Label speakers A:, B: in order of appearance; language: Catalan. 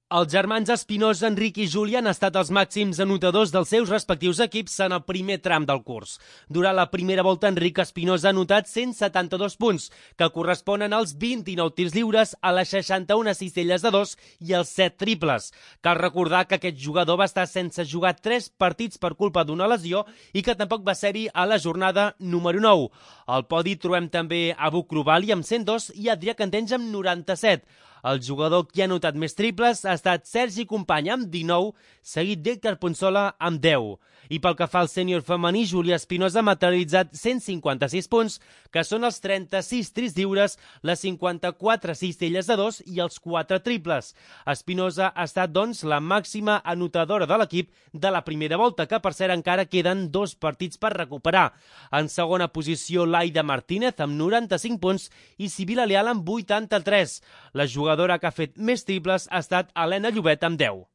A: Els germans Espinosa, Enric i Júlia han estat els màxims anotadors dels seus respectius equips en el primer tram del curs. Durant la primera volta, Enric Espinosa ha anotat 172 punts, que corresponen als 29 tirs lliures, a les 61 cistelles de 2 i els 7 triples. Cal recordar que aquest jugador va estar sense jugar 3 partits per culpa d'una lesió i que tampoc va ser-hi a la jornada número 9. Al podi trobem també Abu Krubali amb 102 i Adrià Cantenys amb 97. El jugador que ha anotat més triples ha estat Sergi Company amb 19, seguit d'Héctor Ponsola amb 10. I pel que fa al sènior femení, Júlia Espinosa ha materialitzat 156 punts, que són els 36 tirs lliures, les 54 cistelles de 2 i els 4 triples. Espinosa ha estat, doncs, la màxima anotadora de l'equip de la primera volta, que per cert encara queden 2 partits per recuperar. En segona posició, Laida Martínez amb 95 punts i Sibila Leal amb 83. La jugadora que ha fet més triples ha estat Helena Llobet amb 10.